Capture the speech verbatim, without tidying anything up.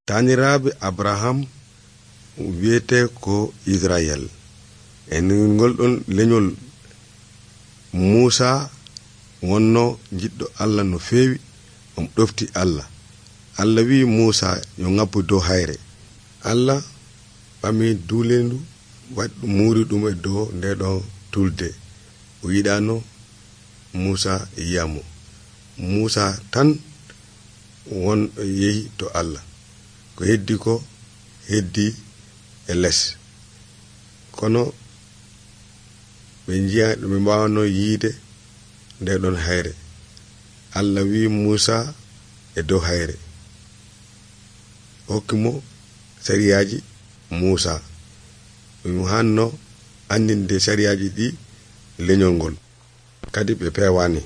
taaniraaɓe abraham wiyete ko israel en ngol ɗon leñol muusa wonno jiɗɗo allah no feewi. on ɗofti allah allah wi muusa yo ngabbu dow hayre. allah ɓami duulendu waɗi muuri ɗum e dow nde ɗon tulde. o yiɗano muusa yiyamo. muusa tan won yehi to allah. ko heddi ko heddi e les. kono ɓe jiya ɓe mbawano yiide nde ɗon hayre. allah wi muusa e dow hayre hokkimo sariyaji muusa. ɗum hanno andinde sariyaji ɗi leñol ngol kadi ɓe pewani.